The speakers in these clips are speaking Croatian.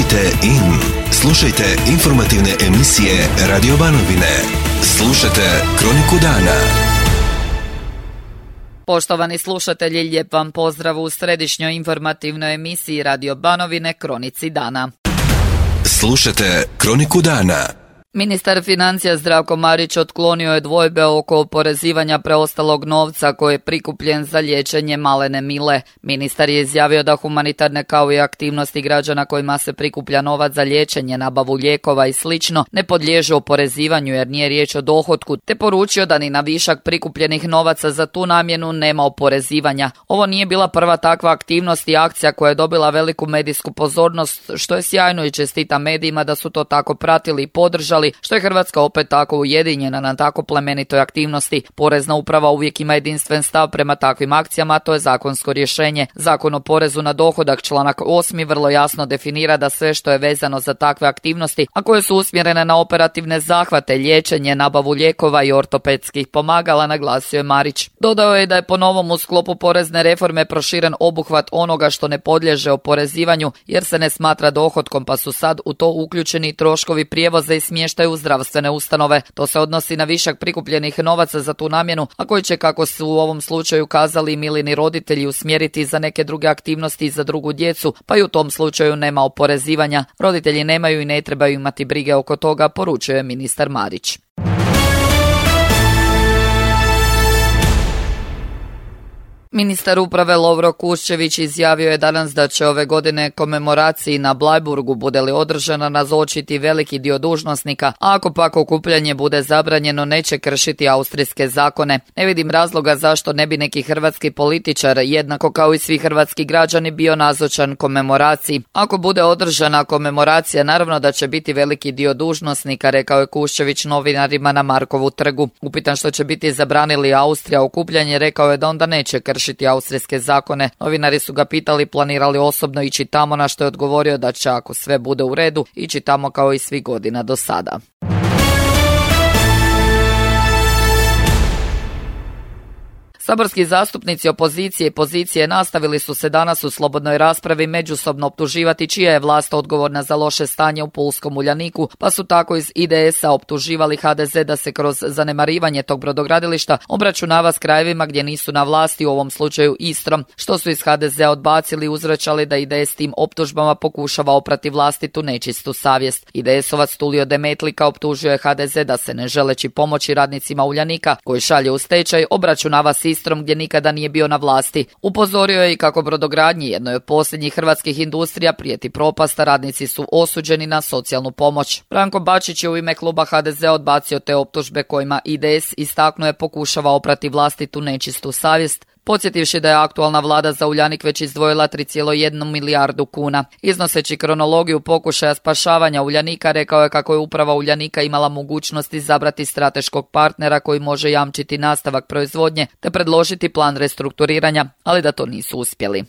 Tunite in. Slušajte informativne emisije Radio Banovine. Slušajte Kroniku dana. Poštovani slušatelji, lijep vam pozdrav u središnjoj informativnoj emisiji Radio Banovine Kronici dana. Slušajte Kroniku dana. Ministar financija Zdravko Marić otklonio je dvojbe oko oporezivanja preostalog novca koji je prikupljen za liječenje malene Mile. Ministar je izjavio da humanitarne kao i aktivnosti građana kojima se prikuplja novac za liječenje, nabavu lijekova i slično ne podliježu oporezivanju jer nije riječ o dohotku, te poručio da ni na višak prikupljenih novaca za tu namjenu nema oporezivanja. Ovo nije bila prva takva aktivnost i akcija koja je dobila veliku medijsku pozornost, što je sjajno i čestita medijima da su to tako pratili i podržali, što je Hrvatska opet tako ujedinjena na tako plemenitoj aktivnosti. Porezna uprava uvijek ima jedinstven stav prema takvim akcijama, a to je zakonsko rješenje. Zakon o porezu na dohodak, članak 8. vrlo jasno definira da sve što je vezano za takve aktivnosti, a koje su usmjerene na operativne zahvate, liječenje, nabavu lijekova i ortopedskih pomagala, naglasio je Marić. Dodao je da je po novom u sklopu porezne reforme proširen obuhvat onoga što ne podliježe oporezivanju jer se ne smatra dohotkom, pa su sad u to uključeni troškovi prijevoza i smještaja u zdravstvene ustanove. To se odnosi na višak prikupljenih novaca za tu namjenu, a koji će, kako su u ovom slučaju kazali Milini roditelji, usmjeriti za neke druge aktivnosti i za drugu djecu, pa i u tom slučaju nema oporezivanja. Roditelji nemaju i ne trebaju imati brige oko toga, poručuje ministar Marić. Ministar uprave Lovro Kuščević izjavio je danas da će ove godine komemoraciji na Bleiburgu, bude li održana, nazočiti veliki dio dužnosnika, a ako pak okupljanje bude zabranjeno neće kršiti austrijske zakone. Ne vidim razloga zašto ne bi neki hrvatski političar, jednako kao i svi hrvatski građani, bio nazočan komemoraciji. Ako bude održana komemoracija, naravno da će biti veliki dio dužnosnika, rekao je Kuščević novinarima na Markovu trgu. Upitan što će biti zabranili Austrija okupljanje, rekao je da onda neće kršiti austrijske zakone. Novinari su ga pitali planirali osobno ići tamo, na što je odgovorio da će, ako sve bude u redu, ići tamo kao i svih godina do sada. Saborski zastupnici opozicije i pozicije nastavili su se danas u slobodnoj raspravi međusobno optuživati čija je vlast odgovorna za loše stanje u pulskom Uljaniku, pa su tako iz IDS-a optuživali HDZ da se kroz zanemarivanje tog brodogradilišta obračunava s krajevima gdje nisu na vlasti, u ovom slučaju Istrom, što su iz HDZ-a odbacili i uzvraćali da IDS tim optužbama pokušava oprati vlastitu nečistu savjest. IDS-ovac Tulio Demetlika optužio je HDZ da se, ne želeći pomoći radnicima Uljanika koji šalje u stečaj, obračunava s Istrom gdje nikada nije bio na vlasti. Upozorio je i kako brodogradnji, jednoj od posljednjih hrvatskih industrija, prijeti propasta, radnici su osuđeni na socijalnu pomoć. Branko Bačić je u ime kluba HDZ-a odbacio te optužbe kojima IDS, istaknuo je, pokušava oprati vlastitu nečistu savjest, podsjetivši da je aktualna vlada za Uljanik već izdvojila 3,1 milijardu kuna. Iznoseći kronologiju pokušaja spašavanja Uljanika, rekao je kako je uprava Uljanika imala mogućnost izabrati strateškog partnera koji može jamčiti nastavak proizvodnje te predložiti plan restrukturiranja, ali da to nisu uspjeli.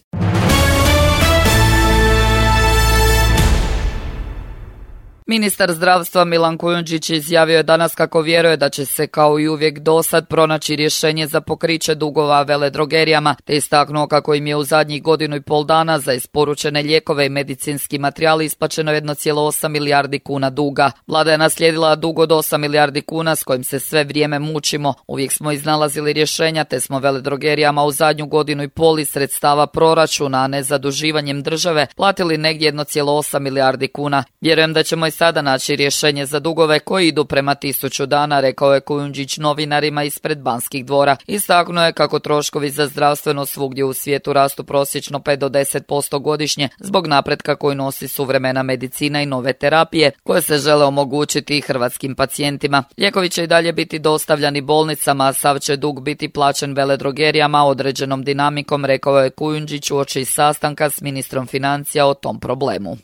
Ministar zdravstva Milan Kujundžić izjavio je danas kako vjeruje da će se kao i uvijek dosad pronaći rješenje za pokriće dugova veledrogerijama, te istaknuo kako im je u zadnjih 1,5 dana za isporučene lijekove i medicinski materijal isplaćeno 1,8 milijardi kuna duga. Vlada je naslijedila dug od 8 milijardi kuna s kojim se sve vrijeme mučimo. Uvijek smo iznalazili rješenja te smo veledrogerijama u zadnju 1,5 iz sredstava proračuna, a ne zaduživanjem države, platili negdje 1,8 milijardi kuna. Vjerujem da ćemo i sada naći rješenje za dugove koji idu prema 1000 dana, rekao je Kujundžić novinarima ispred Banskih dvora. Istaknuo je kako troškovi za zdravstveno svugdje u svijetu rastu prosječno 5 do 10% godišnje zbog napretka koji nosi suvremena medicina i nove terapije koje se žele omogućiti i hrvatskim pacijentima. Lijekovi će i dalje biti dostavljani bolnicama, a sav će dug biti plaćen veledrogerijama određenom dinamikom, rekao je Kujundžić uoči sastanka s ministrom financija o tom problemu.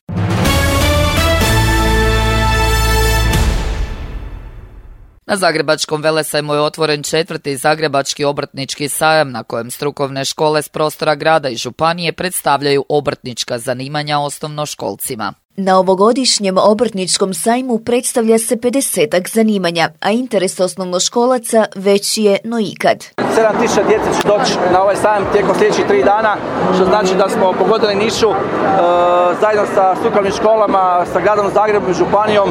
Na Zagrebačkom velesajmu je otvoren 4. Zagrebački obrtnički sajam na kojem strukovne škole s prostora grada i županije predstavljaju obrtnička zanimanja osnovnoškolcima. Na ovogodišnjem obrtničkom sajmu predstavlja se 50-ak zanimanja, a interes osnovnoškolaca veći je no ikad. 7000 djece će doći na ovaj sajam tijekom sljedećih 3 dana, što znači da smo pogodili nišu zajedno sa strukovnim školama, sa gradom Zagrebom i županijom.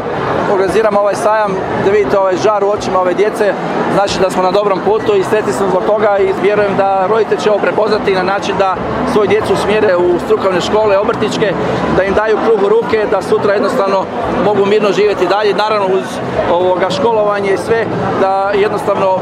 Organiziramo ovaj sajam da vidite ovaj žar u očima ove djece, znači da smo na dobrom putu i sretni smo zbog toga i vjerujem da roditelji će ovo prepoznati na način da svoju djecu usmjere u strukovne škole, obrtničke, da im daju kruh u ruke, da sutra jednostavno mogu mirno živjeti dalje, naravno uz školovanje i sve, da jednostavno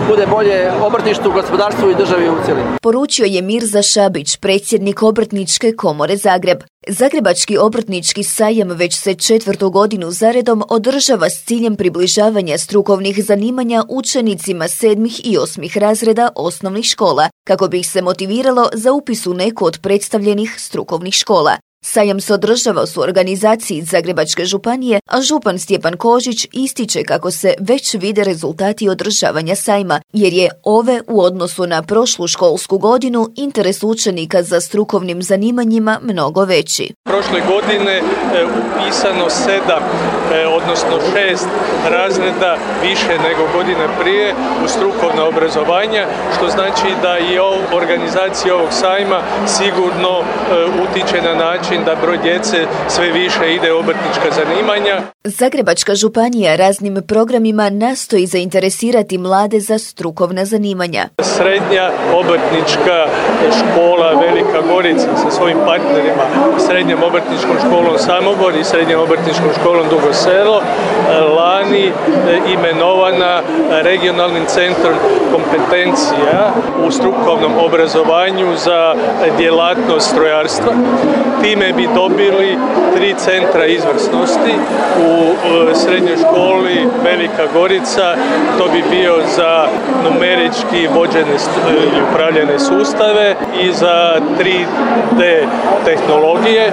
bude bolje obrtništvu, gospodarstvu i državi u cjelini. Poručio je Mirza Šabić, predsjednik Obrtničke komore Zagreb. Zagrebački obrtnički sajam već se 4. godinu zaredom održava s ciljem približavanja strukovnih zanimanja učenicima 7. i 8. razreda osnovnih škola, kako bi ih se motiviralo za upis u neku od predstavljenih strukovnih škola. Sajam se održava u organizaciji Zagrebačke županije, a župan Stjepan Kožić ističe kako se već vide rezultati održavanja sajma, jer je ove u odnosu na prošlu školsku godinu interes učenika za strukovnim zanimanjima mnogo veći. Prošle godine upisano 7, odnosno 6 razreda više nego godine prije u strukovna obrazovanja, što znači da i organizacija ovog sajma sigurno utiče na način da broj djece sve više ide u obrtnička zanimanja. Zagrebačka županija raznim programima nastoji zainteresirati mlade za strukovna zanimanja. Srednja obrtnička škola Velika Gorica sa svojim partnerima, Srednjom obrtničkom školom Samobor i Srednjom obrtničkom školom Dugo Selo, lani imenovana regionalnim centrom kompetencija u strukovnom obrazovanju za djelatnost strojarstva. Time bi dobili 3 centra izvrsnosti u srednjoj školi Velika Gorica. To bi bio za numerički vođene i upravljene sustave i za 3D tehnologije.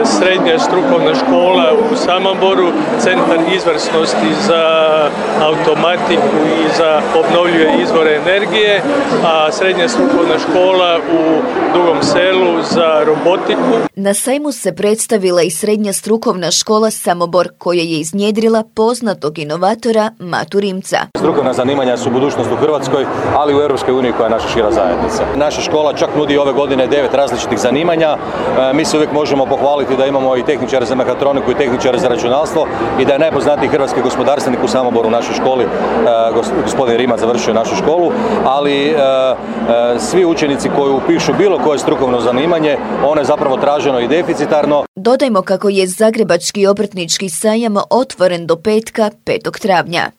Srednja strukovna škola u Samoboru, centar izvrsnosti za automatiku i za obnovljive izvore energije, a srednja strukovna škola u Dugom Selu za robotiku. Na sajmu se predstavila i srednja strukovna škola Samobor, koja je iznjedrila poznatog inovatora Matu Rimca. Strukovna zanimanja su budućnost u Hrvatskoj, ali i u Europskoj uniji koja je naša šira zajednica. Naša škola čak nudi ove godine 9 različitih zanimanja. Mi se uvijek možemo pohvaliti da imamo i tehničare za mehatroniku i tehničare za računalstvo i da je najpoznatiji hrvatski gospodarstvenik u Samoboru u našoj školi, gospodin Rimac, završio našu školu, ali svi učenici koji upišu bilo koje strukovno zanimanje, ono je zapravo traženo i deficitarno. Dodajmo kako je Zagrebački obrtnički sajam otvoren do petka 5. travnja.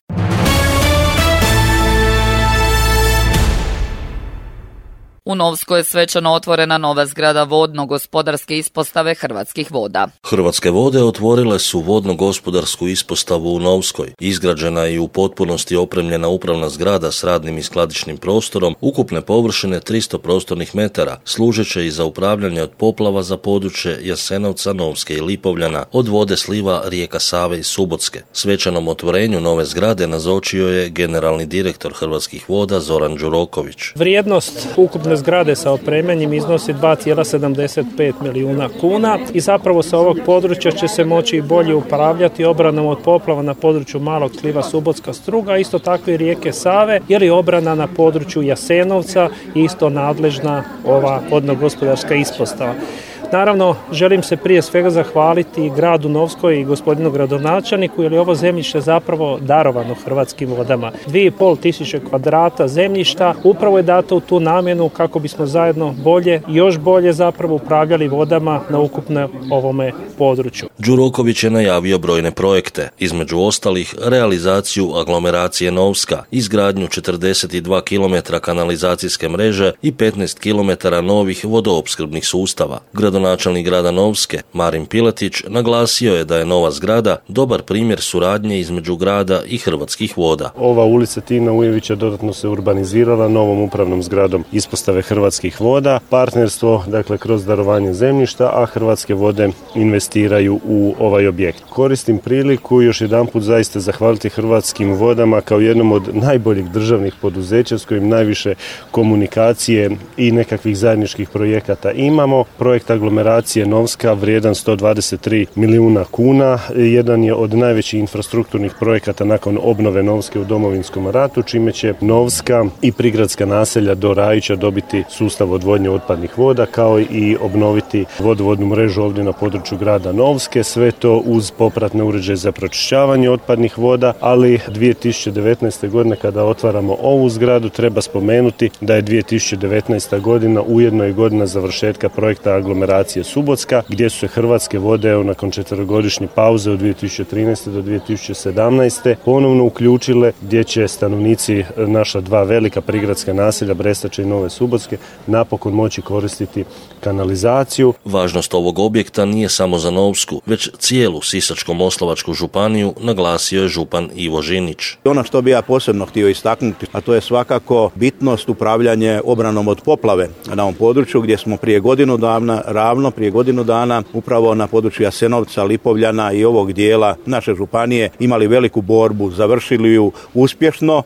U Novskoj je svečano otvorena nova zgrada vodno-gospodarske ispostave Hrvatskih voda. Hrvatske vode otvorile su vodno-gospodarsku ispostavu u Novskoj. Izgrađena je i u potpunosti opremljena upravna zgrada s radnim i skladišnim prostorom, ukupne površine 300 prostornih metara, služeće i za upravljanje od poplava za područje Jasenovca, Novske i Lipovljana, od vode sliva rijeka Save i Subotske. Svečanom otvorenju nove zgrade nazočio je generalni direktor Hrvatskih voda Zoran Đuroković. Vrijednost ukupne zgrade sa opremanjem iznosi 2,75 milijuna kuna i zapravo sa ovog područja će se moći bolje upravljati obranom od poplava na području Malog sliva Subotska Struga, isto tako i rijeke Save, jer je obrana na području Jasenovca isto nadležna ova vodno-gospodarska ispostava. Naravno, želim se prije svega zahvaliti gradu Novskoj i gospodinu gradonačelniku, jer je ovo zemljište zapravo darovano Hrvatskim vodama. 2500 kvadrata zemljišta upravo je dato u tu namjenu kako bismo zajedno još bolje zapravo upravljali vodama na ukupno ovome području. Đuroković je najavio brojne projekte, između ostalih realizaciju aglomeracije Novska, izgradnju 42 km kanalizacijske mreže i 15 km novih vodoopskrbnih sustava. Gradonačelnik grada Novske, Marin Piletić, naglasio je da je nova zgrada dobar primjer suradnje između grada i Hrvatskih voda. Ova ulica Tina Ujevića dodatno se urbanizirala novom upravnom zgradom ispostave Hrvatskih voda. Partnerstvo, dakle, kroz darovanje zemljišta, a Hrvatske vode investiraju u ovaj objekt. Koristim priliku još jedanput zaista zahvaliti Hrvatskim vodama kao jednom od najboljih državnih poduzeća s kojim najviše komunikacije i nekakvih zajedničkih projekata imamo. Projekt aglomeracije Novska vrijedan 123 milijuna kuna. Jedan je od najvećih infrastrukturnih projekata nakon obnove Novske u Domovinskom ratu, čime će Novska i prigradska naselja do Rajića dobiti sustav odvodnje otpadnih voda, kao i obnoviti vodovodnu mrežu ovdje na području grada Novske. Sve to uz popratne uređaje za pročišćavanje otpadnih voda, ali 2019. godine kada otvaramo ovu zgradu treba spomenuti da je 2019. godina ujedno i godina završetka projekta aglomeracije Subotska, gdje su se Hrvatske vode nakon 4-godišnje pauze od 2013. do 2017. ponovno uključile, gdje će stanovnici naša dva velika prigradska naselja Brestače i Nove Subotske napokon moći koristiti kanalizaciju. Važnost ovog objekta nije samo za Novsku, već cijelu Sisačko-moslavačku županiju, naglasio je župan Ivo Žinić. Ono što bi ja posebno htio istaknuti, a to je svakako bitnost upravljanje obranom od poplave na ovom području, gdje smo prije godinu dana upravo na području Jasenovca, Lipovljana i ovog dijela naše županije imali veliku borbu, završili ju uspješno.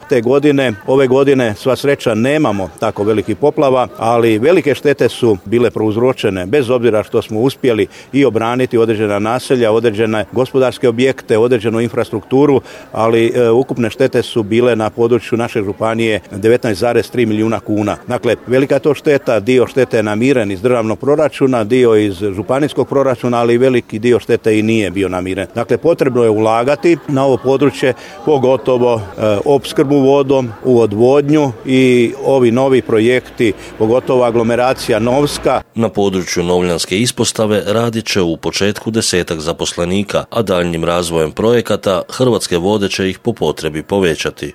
Ove godine sva sreća nemamo tako velikih poplava, ali velike štete su bile prouzročene, bez obzira što smo uspjeli i obraniti određena naselja, određene gospodarske objekte, određenu infrastrukturu, ali ukupne štete su bile na području naše županije 19,3 milijuna kuna. Dakle, velika je to šteta, dio štete je namiren iz državnog proračuna, dio iz županijskog proračuna, ali veliki dio štete i nije bio namiren. Dakle, potrebno je ulagati na ovo područje, pogotovo opskrbu vodom, u odvodnju i ovi novi projekti, pogotovo aglomeracija Novska. Na području Novljanske ispostave radit će u početku 10 zaposlenika, a daljnjim razvojem projekata Hrvatske vode će ih po potrebi povećati.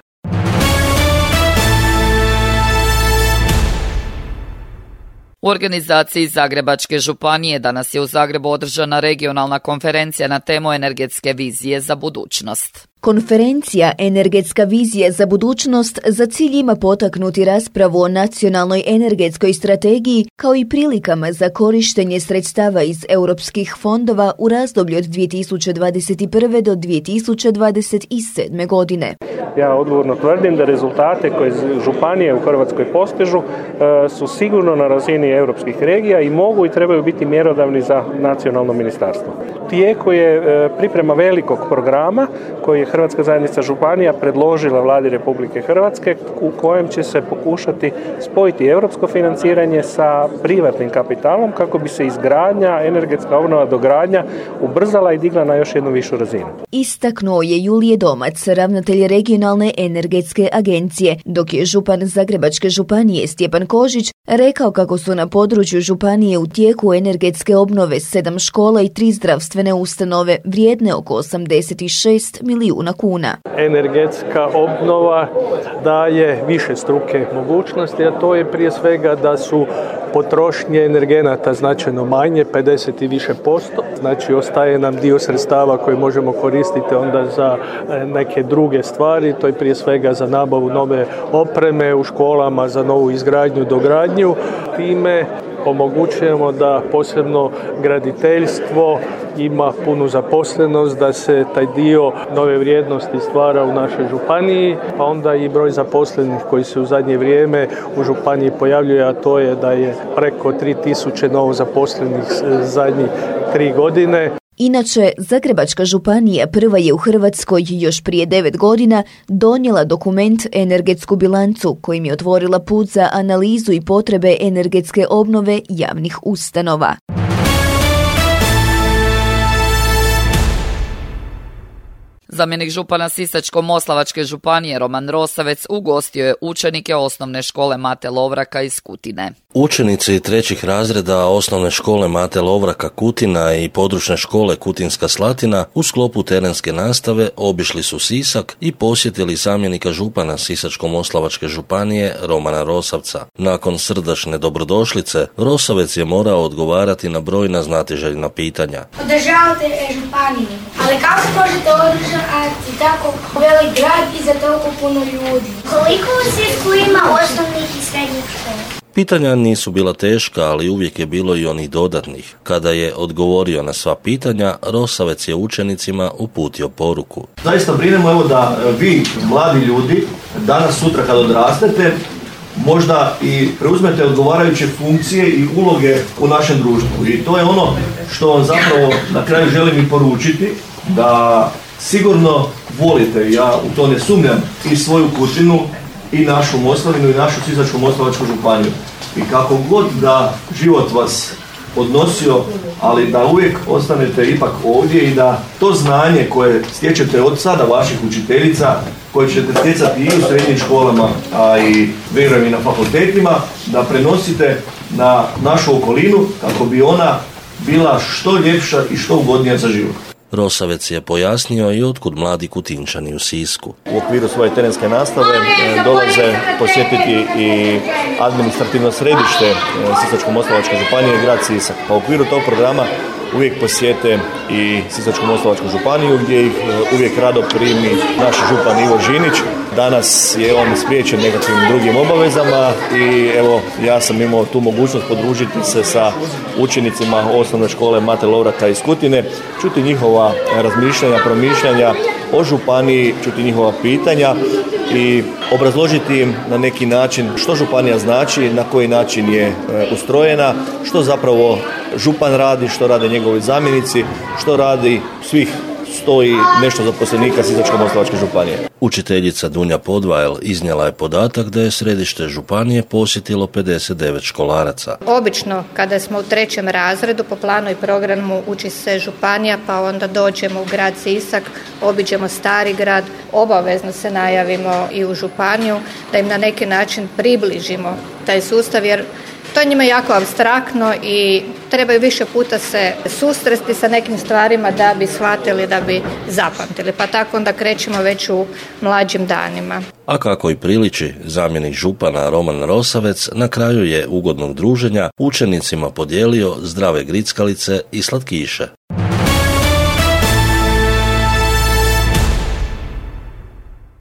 U organizaciji Zagrebačke županije danas je u Zagrebu održana regionalna konferencija na temu energetske vizije za budućnost. Konferencija Energetska vizija za budućnost za cilj ima potaknuti raspravu o nacionalnoj energetskoj strategiji kao i prilikama za korištenje sredstava iz europskih fondova u razdoblju od 2021. do 2027. godine. Ja odgovorno tvrdim da rezultate koje županije u Hrvatskoj postižu su sigurno na razini europskih regija i mogu i trebaju biti mjerodavni za nacionalno ministarstvo. U tijeku je priprema velikog programa koji je Hrvatska zajednica županija predložila Vladi Republike Hrvatske, u kojem će se pokušati spojiti europsko financiranje sa privatnim kapitalom kako bi se izgradnja, energetska obnova, dogradnja ubrzala i digla na još jednu višu razinu. Istaknuo je Julije Domac, ravnatelj regionalne energetske agencije, dok je župan Zagrebačke županije Stjepan Kožić rekao kako su na području županije u tijeku energetske obnove 7 škola i 3 zdravstvene ustanove vrijedne oko 86 milijuna kuna. Energetska obnova daje više struke mogućnosti, a to je prije svega da su potrošnje energenata značajno manje, 50 i više posto. Znači ostaje nam dio sredstava koje možemo koristiti onda za neke druge stvari, to je prije svega za nabavu nove opreme u školama, za novu izgradnju, dogradnju. Time omogućujemo da posebno graditeljstvo ima punu zaposlenost, da se taj dio nove vrijednosti stvara u našoj županiji, pa onda i broj zaposlenih koji se u zadnje vrijeme u županiji pojavljuje, a to je da je preko 3000 novo zaposlenih zadnjih 3 godine. Inače, Zagrebačka županija prva je u Hrvatskoj još prije 9 godina donijela dokument Energetsku bilancu kojim je otvorila put za analizu i potrebe energetske obnove javnih ustanova. Zamjenik župana Sisačko-moslavačke županije Roman Rosavec ugostio je učenike osnovne škole Mate Lovraka iz Kutine. Učenici 3. razreda osnovne škole Mate Lovraka Kutina i područne škole Kutinska Slatina u sklopu terenske nastave obišli su Sisak i posjetili zamjenika župana Sisačko-moslavačke županije Romana Rosavca. Nakon srdačne dobrodošlice, Rosavec je morao odgovarati na brojna znatiželjna pitanja. Podržavate županiju, ali kako možete održati tako velik grad i za toliko puno ljudi? Koliko u Sisku ima osnovnih i srednjih škola? Pitanja nisu bila teška, ali uvijek je bilo i onih dodatnih. Kada je odgovorio na sva pitanja, Rosavec je učenicima uputio poruku. Zaista brinemo da vi, mladi ljudi, danas sutra kad odrastete, možda i preuzmete odgovarajuće funkcije i uloge u našem društvu. I to je ono što vam zapravo na kraju želim i poručiti, da sigurno volite, ja u to ne sumnjam, i svoju Kutinu, i našu Moslavinu, i našu Sisačko-moslavačku županiju. I kako god da život vas odnosio, ali da uvijek ostanete ipak ovdje i da to znanje koje stječete od sada vaših učiteljica, koje ćete stjecati i u srednjim školama, a i vjerujem i na fakultetima, da prenosite na našu okolinu kako bi ona bila što ljepša i što ugodnija za život. Rosavec je pojasnio i otkud mladi Kutinčani u Sisku. U okviru svoje terenske nastave dolaze posjetiti i administrativno središte Sisačko-moslavačke županije i grad Sisak. Pa u okviru tog programa uvijek posjete i Sisačko-moslavačku županiju gdje ih uvijek rado primi naš župan Ivo Žinić. Danas je on spriječen nekakvim drugim obavezama i evo ja sam imao tu mogućnost podružiti se sa učenicima osnovne škole Mate Lovrata iz Kutine, čuti njihova razmišljanja, promišljanja o županiji, čuti njihova pitanja i obrazložiti im na neki način što županija znači, na koji način je ustrojena, što zapravo župan radi, što rade njegovi zamjenici, što radi svih 100 i nešto zaposlenika Sisačko-moslavačke županije. Učiteljica Dunja Podvajel iznijela je podatak da je središte županije posjetilo 59 školaraca. Obično kada smo u 3. razredu po planu i programu uči se županija, pa onda dođemo u grad Sisak, obiđemo Stari grad, obavezno se najavimo i u županiju da im na neki način približimo taj sustav, jer to je njima jako apstraktno i trebaju više puta se susresti sa nekim stvarima da bi shvatili, da bi zapamtili. Pa tako onda krećemo već u mlađim danima. A kako i priliči, zamjenik župana Roman Rosavec na kraju je ugodnog druženja učenicima podijelio zdrave grickalice i slatkiše.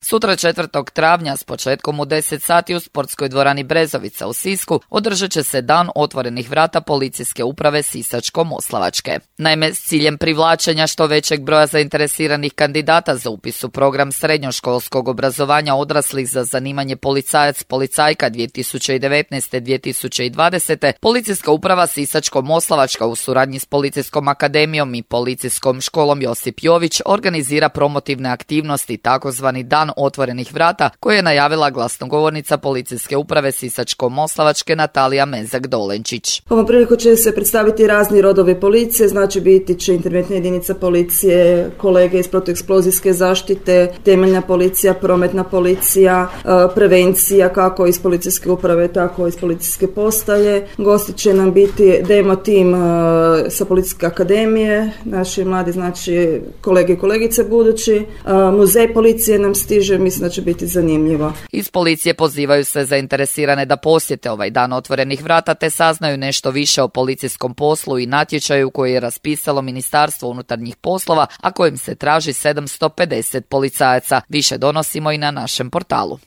Sutra 4. travnja s početkom u 10 sati u sportskoj dvorani Brezovica u Sisku održat će se dan otvorenih vrata policijske uprave Sisačko-moslavačke. Naime, s ciljem privlačenja što većeg broja zainteresiranih kandidata za upis u program srednjoškolskog obrazovanja odraslih za zanimanje policajac-policajka 2019-2020, policijska uprava Sisačko-moslavačka u suradnji s Policijskom akademijom i Policijskom školom Josip Jović organizira promotivne aktivnosti, takozvani dan otvorenih vrata, koje je najavila glasnogovornica policijske uprave Sisačko-moslavačke Natalija Mezak-Dolenčić. Ovom priliku će se predstaviti razni rodovi policije, znači biti će interventna jedinica policije, kolege iz protueksplozijske zaštite, temeljna policija, prometna policija, prevencija kako iz policijske uprave, tako iz policijske postaje. Gosti će nam biti demo tim sa Policijske akademije, naši mladi, znači kolege i kolegice budući, muzej policije nam stiže, mislim da će biti zanimljivo. Iz policije pozivaju se zainteresirane da posjete ovaj dan otvorenih vrata te saznaju nešto više o policijskom poslu i natječaju koji je raspisalo Ministarstvo unutarnjih poslova, a kojim se traži 750 policajaca. Više donosimo i na našem portalu.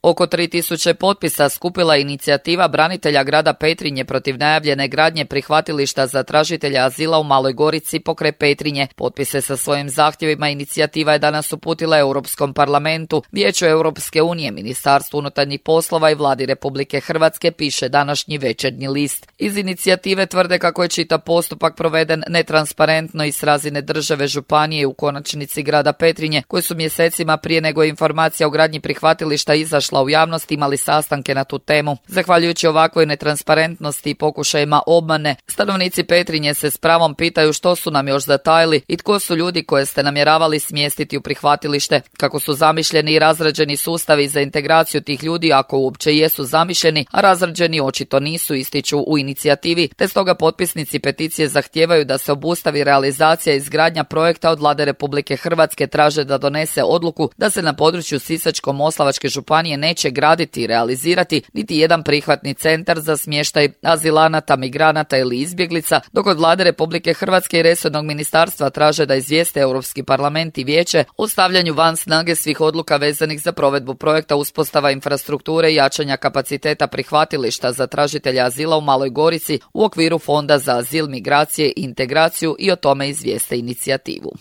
Oko 3000 potpisa skupila inicijativa branitelja grada Petrinje protiv najavljene gradnje prihvatilišta za tražitelja azila u Maloj Gorici pokraj Petrinje. Potpise sa svojim zahtjevima inicijativa je danas uputila Europskom parlamentu, Vijeću Europske unije, Ministarstvu unutarnjih poslova i Vladi Republike Hrvatske, piše današnji Večernji list. Iz inicijative tvrde kako je čitav postupak proveden netransparentno i s razine države, županije i u konačnici grada Petrinje, koji su mjesecima prije nego je informacija o gradnji prihvatilišta izašla u javnost imali sastanke na tu temu. Zahvaljujući ovakvoj netransparentnosti i pokušajima obmane, stanovnici Petrinje se s pravom pitaju što su nam još zatajili i tko su ljudi koje ste namjeravali smjestiti u prihvatilište, kako su zamišljeni i razrađeni sustavi za integraciju tih ljudi, ako uopće jesu zamišljeni, a razrađeni očito nisu, ističu u inicijativi, te stoga potpisnici peticije zahtijevaju da se obustavi realizacija izgradnja projekta od Vlade Republike Hrvatske, traže da donese odluku da se na području Sisačko-moslavačke županije neće graditi i realizirati niti jedan prihvatni centar za smještaj azilanata, migranata ili izbjeglica, dok od Vlade Republike Hrvatske i resornog ministarstva traže da izvijeste Europski parlament i vijeće o stavljanju van snage svih odluka vezanih za provedbu projekta uspostava infrastrukture i jačanja kapaciteta prihvatilišta za tražitelja azila u Maloj Gorici u okviru Fonda za azil, migracije i integraciju i o tome izvijeste inicijativu.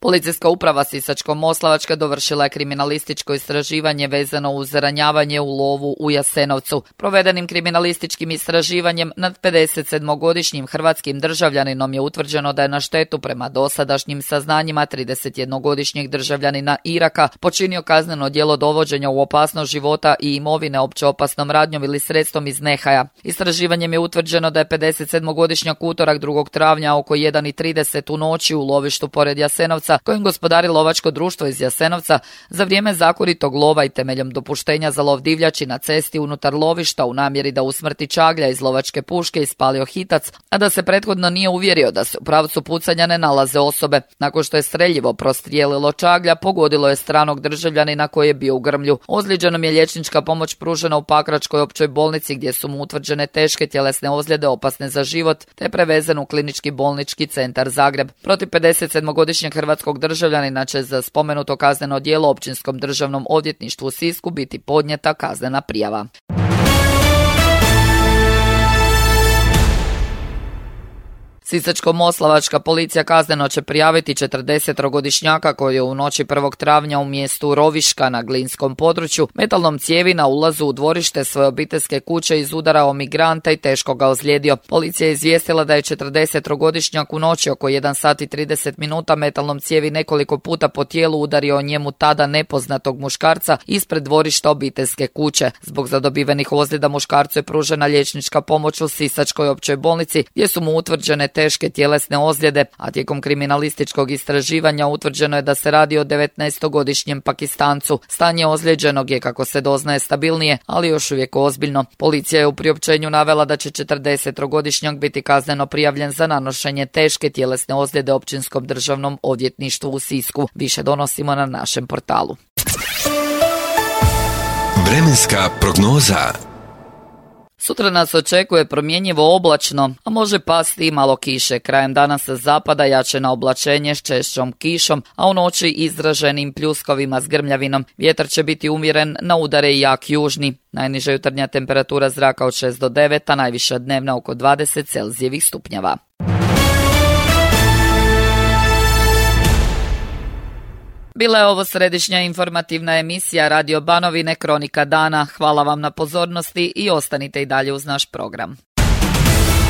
Policijska uprava Sisačko-moslavačka dovršila je kriminalističko istraživanje vezano uz ranjavanje u lovu u Jasenovcu. Provedenim kriminalističkim istraživanjem nad 57-godišnjim hrvatskim državljaninom je utvrđeno da je na štetu prema dosadašnjim saznanjima 31-godišnjeg državljanina Iraka počinio kazneno djelo dovođenja u opasnost života i imovine opće opasnom radnjom ili sredstvom iz nehaja. Istraživanjem je utvrđeno da je 57-godišnjak utorak 2. travnja oko 1:30 u noći u lovištu pored Jasenovca, kojim gospodari lovačko društvo iz Jasenovca, za vrijeme zakonitog lova i temeljem dopuštenja za lov divljači na cesti unutar lovišta u namjeri da usmrti čaglja iz lovačke puške ispalio hitac, a da se prethodno nije uvjerio da se u pravcu pucanja ne nalaze osobe. Nakon što je streljivo prostrijelilo čaglja, pogodilo je stranog državljanina koji je bio u grmlju. Ozlijeđenom je liječnička pomoć pružena u Pakračkoj općoj bolnici gdje su mu utvrđene teške tjelesne ozljede opasne za život, te prevezen u Klinički bolnički centar Zagreb. Protiv 57-godišnjeg hrvatskog državljanina će za spomenuto kazneno djelo Općinskom državnom odvjetništvu u Sisku biti podnijeta kaznena prijava. Sisačko-moslavačka policija kazneno će prijaviti 40-godišnjaka koji je u noći 1. travnja u mjestu Roviška na Glinskom području metalnom cijevi na ulazu u dvorište svoje obiteljske kuće izudarao migranta i teško ga ozlijedio. Policija je izvijestila da je 40-godišnjak u noći oko 1:30 metalnom cijevi nekoliko puta po tijelu udario njemu tada nepoznatog muškarca ispred dvorišta obiteljske kuće. Zbog zadobivenih ozljeda muškarcu je pružena liječnička pomoć u Sisačkoj općoj bolnici gdje su mu utvrđene teške tjelesne ozljede, a tijekom kriminalističkog istraživanja utvrđeno je da se radi o 19-godišnjem Pakistancu. Stanje ozlijeđenog je, kako se doznaje, stabilnije, ali još uvijek ozbiljno. Policija je u priopćenju navela da će 40-godišnjak biti kazneno prijavljen za nanošenje teške tjelesne ozljede Općinskom državnom odvjetništvu u Sisku. Više donosimo na našem portalu. Vremenska prognoza. Sutra nas očekuje promjenjivo oblačno, a može pasti i malo kiše. Krajem dana sa zapada jačeno oblačenje s češćom kišom, a u noći izraženim pljuskovima s grmljavinom. Vjetar će biti umjeren, na udare i jak južni. Najniža jutarnja temperatura zraka od 6 do 9, a najviša dnevna oko 20 Celzijevih stupnjeva. Bila je ovo središnja informativna emisija Radio Banovine Kronika dana. Hvala vam na pozornosti i ostanite i dalje uz naš program.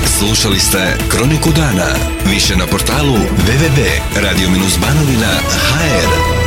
Slušali ste Kroniku dana. Više na portalu www.radio-banovina.hr.